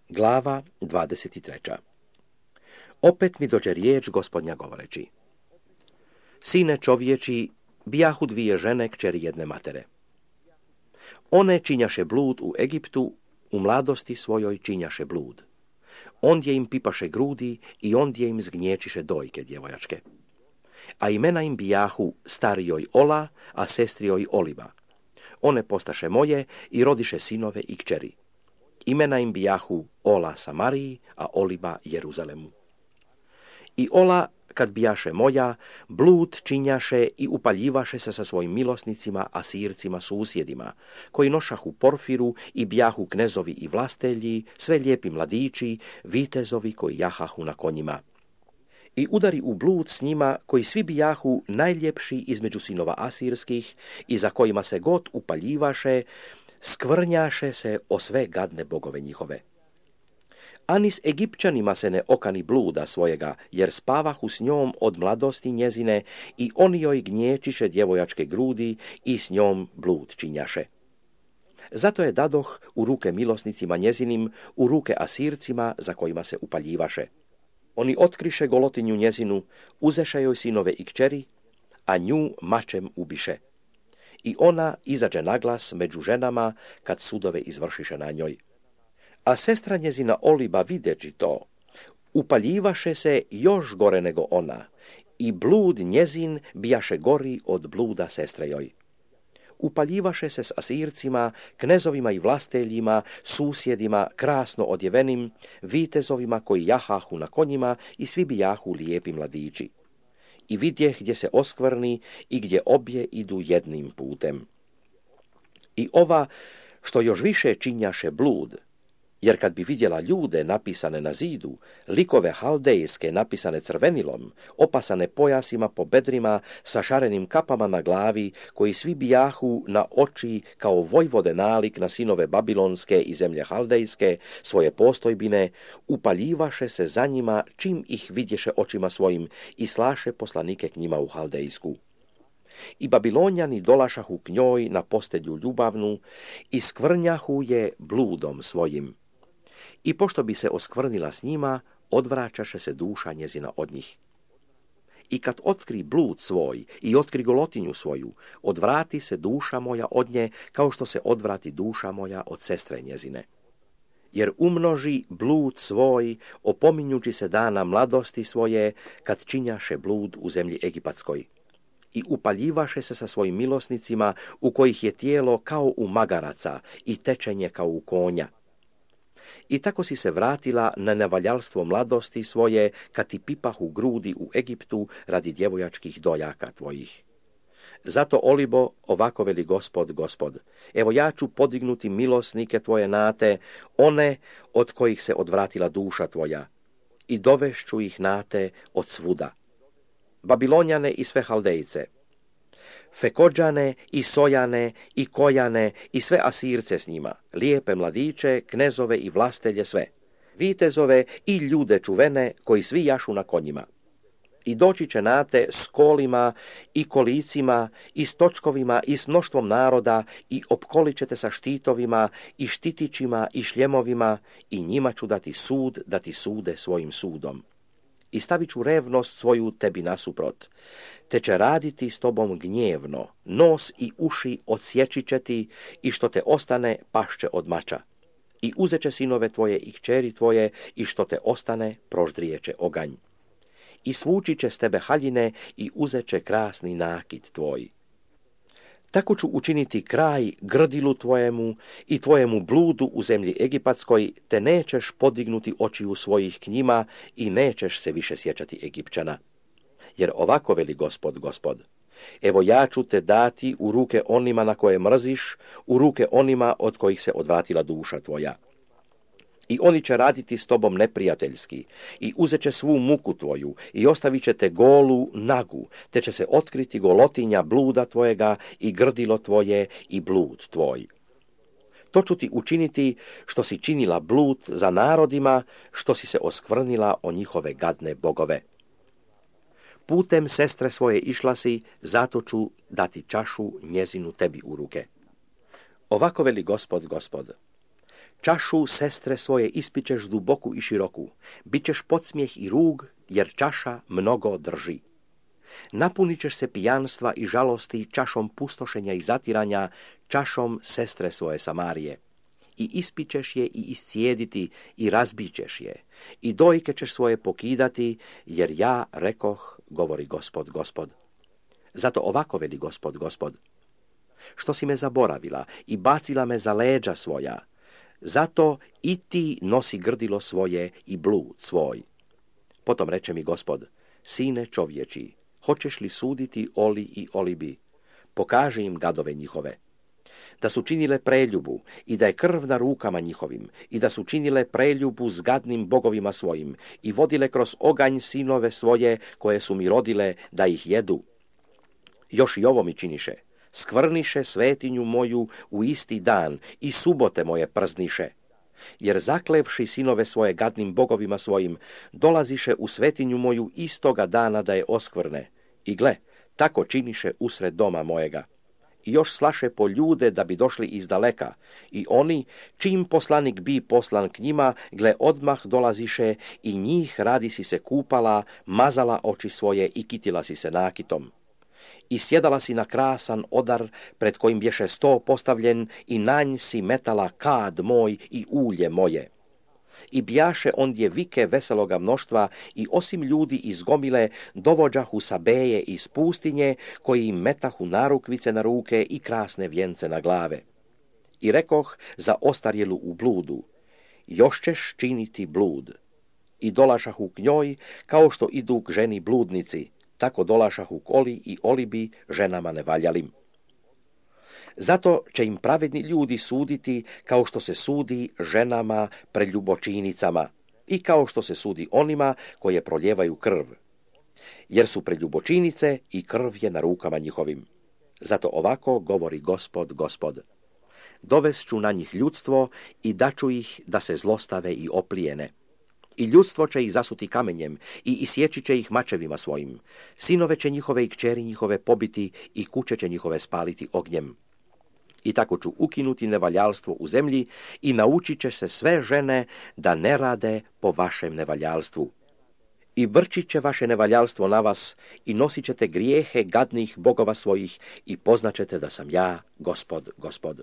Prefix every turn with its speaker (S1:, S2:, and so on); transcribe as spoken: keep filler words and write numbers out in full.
S1: Glava dvadeset tri. Opet mi dođe riječ Gospodnja govoreći: Sine čovječi, bijahu dvije žene kćeri jedne matere. One činjaše blud u Egiptu, u mladosti svojoj činjaše blud. Ondje im pipaše grudi i ondje im zgnječiše dojke djevojačke. A imena im bijahu starijoj Ola, a sestrijoj Oliba. One postaše moje i rodiše sinove i kćeri. Imena im bijahu Ola Samariji, a Oliba Jeruzalemu. I Ola, kad bijaše moja, blud činjaše i upaljivaše se sa svojim milosnicima, Asircima susjedima, koji nošahu porfiru i bijahu knezovi i vlastelji, sve lijepi mladići, vitezovi koji jahahu na konjima. I udari u blud s njima, koji svi bijahu najljepši između sinova asirskih i za kojima se god upaljivaše, skvrnjaše se o sve gadne bogove njihove. Ani s Egipćanima se ne okani bluda svojega, jer spavahu s njom od mladosti njezine i oni joj gnječiše djevojačke grudi i s njom blud činjaše. Zato je dadoh u ruke milosnicima njezinim, u ruke Asircima za kojima se upaljivaše. Oni otkriše golotinju njezinu, uzeše joj sinove i kćeri, a nju mačem ubiše. I ona izađe naglas među ženama kad sudove izvršiše na njoj. A sestra njezina Oliba videći to, upaljivaše se još gore nego ona, i blud njezin bijaše gori od bluda sestre joj. Upaljivaše se s Asircima, knezovima i vlasteljima, susjedima, krasno odjevenim, vitezovima koji jahahu na konjima i svi bijahu lijepi mladići. I vidjeh gdje se oskvrni i gdje obje idu jednim putem. I ova, što još više činjaše blud, jer kad bi vidjela ljude napisane na zidu, likove haldejske napisane crvenilom, opasane pojasima po bedrima, sa šarenim kapama na glavi, koji svi bijahu na oči kao vojvode nalik na sinove babilonske i zemlje haldejske, svoje postojbine, upaljivaše se za njima čim ih vidješe očima svojim i slaše poslanike k njima u haldejsku. I Babilonjani dolašahu k njoj na postelju ljubavnu i skvrnjahu je bludom svojim. I pošto bi se oskvrnila s njima, odvraćaše se duša njezina od njih. I kad otkri blud svoj i otkri golotinju svoju, odvrati se duša moja od nje, kao što se odvrati duša moja od sestre njezine. Jer umnoži blud svoj, opominjući se dana mladosti svoje, kad činjaše blud u zemlji Egipatskoj. I upaljivaše se sa svojim milosnicima, u kojih je tijelo kao u magaraca i tečenje kao u konja. I tako si se vratila na nevaljalstvo mladosti svoje, kad ti pipahu grudi u Egiptu radi djevojačkih dojaka tvojih. Zato, Olibo, ovako veli Gospod, Gospod, evo ja ću podignuti milosnike tvoje nate, one od kojih se odvratila duša tvoja, i dovešću ih nate od svuda. Babilonjane i sve Haldejce, Fekođane i Sojane i Kojane i sve Asirce s njima, lijepe mladiće, knezove i vlastelje sve, vitezove i ljude čuvene koji svi jašu na konjima. I doći će nate s kolima i kolicima i s točkovima i s mnoštvom naroda i opkolit ćete sa štitovima i štitićima i šljemovima i njima ću dati sud da ti sude svojim sudom. I stavit ću revnost svoju tebi nasuprot, te će raditi s tobom gnjevno, nos i uši odsjeći će ti i što te ostane pašće od mača. I uzet će sinove tvoje i kćeri tvoje i što te ostane proždrijeće oganj. I svući će s tebe haljine i uzet će krasni nakit tvoj. Tako ću učiniti kraj grdilu tvojemu i tvojemu bludu u zemlji Egipatskoj, te nećeš podignuti očiju svojih k njima i nećeš se više sjećati Egipćana. Jer ovako veli Gospod, Gospod, evo ja ću te dati u ruke onima na koje mrziš, u ruke onima od kojih se odvratila duša tvoja. I oni će raditi s tobom neprijateljski i uzet će svu muku tvoju i ostavit će te golu, nagu, te će se otkriti golotinja bluda tvojega i grdilo tvoje i blud tvoj. To ću ti učiniti što si činila blud za narodima, što si se oskvrnila o njihove gadne bogove. Putem sestre svoje išla si, zato ću dati čašu njezinu tebi u ruke. Ovako veli Gospod, Gospod, Čašu sestre svoje ispičeš duboku i široku, bićeš podsmijeh i rug, jer čaša mnogo drži. Napunit ćeš se pijanstva i žalosti čašom pustošenja i zatiranja, čašom sestre svoje Samarije. I ispićeš je i iscijediti i razbićeš je, i dojke ćeš svoje pokidati, jer ja rekoh, govori Gospod, Gospod. Zato ovako veli Gospod, Gospod. Što si me zaboravila i bacila me za leđa svoja, zato i ti nosi grdilo svoje i blud svoj. Potom reče mi Gospod, sine čovječi, hoćeš li suditi Oli i Olibi? Pokaži im gadove njihove. Da su činile preljubu i da je krv na rukama njihovim i da su činile preljubu s gadnim bogovima svojim i vodile kroz oganj sinove svoje koje su mi rodile da ih jedu. Još i ovo mi činiše. Skvrniše svetinju moju u isti dan i subote moje przniše. Jer zaklevši sinove svoje gadnim bogovima svojim, dolaziše u svetinju moju istoga dana da je oskvrne. I gle, tako činiše usred doma mojega. I još slaše po ljude da bi došli iz daleka. I oni, čim poslanik bi poslan k njima, gle odmah dolaziše i njih radi si se kupala, mazala oči svoje i kitila si se nakitom. I sjedala si na krasan odar, pred kojim bješe sto postavljen, i na nj si metala kad moj i ulje moje. I bjaše ondje vike veseloga mnoštva, i osim ljudi iz gomile, dovođahu Sabeje iz pustinje, koji im metahu narukvice na ruke i krasne vjence na glave. I rekoh za ostarjelu u bludu, još ćeš činiti blud. I dolašahu k njoj, kao što idu k ženi bludnici, tako dolašahu k Oli i Olibi, ženama nevaljalim. Zato će im pravedni ljudi suditi kao što se sudi ženama preljubočinicama i kao što se sudi onima koje proljevaju krv. Jer su preljubočinice i krv je na rukama njihovim. Zato ovako govori Gospod, Gospod. Dovest ću na njih ljudstvo i daću ih da se zlostave i oplijene. I ljudstvo će ih zasuti kamenjem i isjeći će ih mačevima svojim. Sinove će njihove i kćeri njihove pobiti i kuće će njihove spaliti ognjem. I tako ću ukinuti nevaljalstvo u zemlji i naučit će se sve žene da ne rade po vašem nevaljalstvu. I vrčit će vaše nevaljalstvo na vas i nosit ćete grijehe gadnih bogova svojih i poznaćete da sam ja, Gospod, Gospod.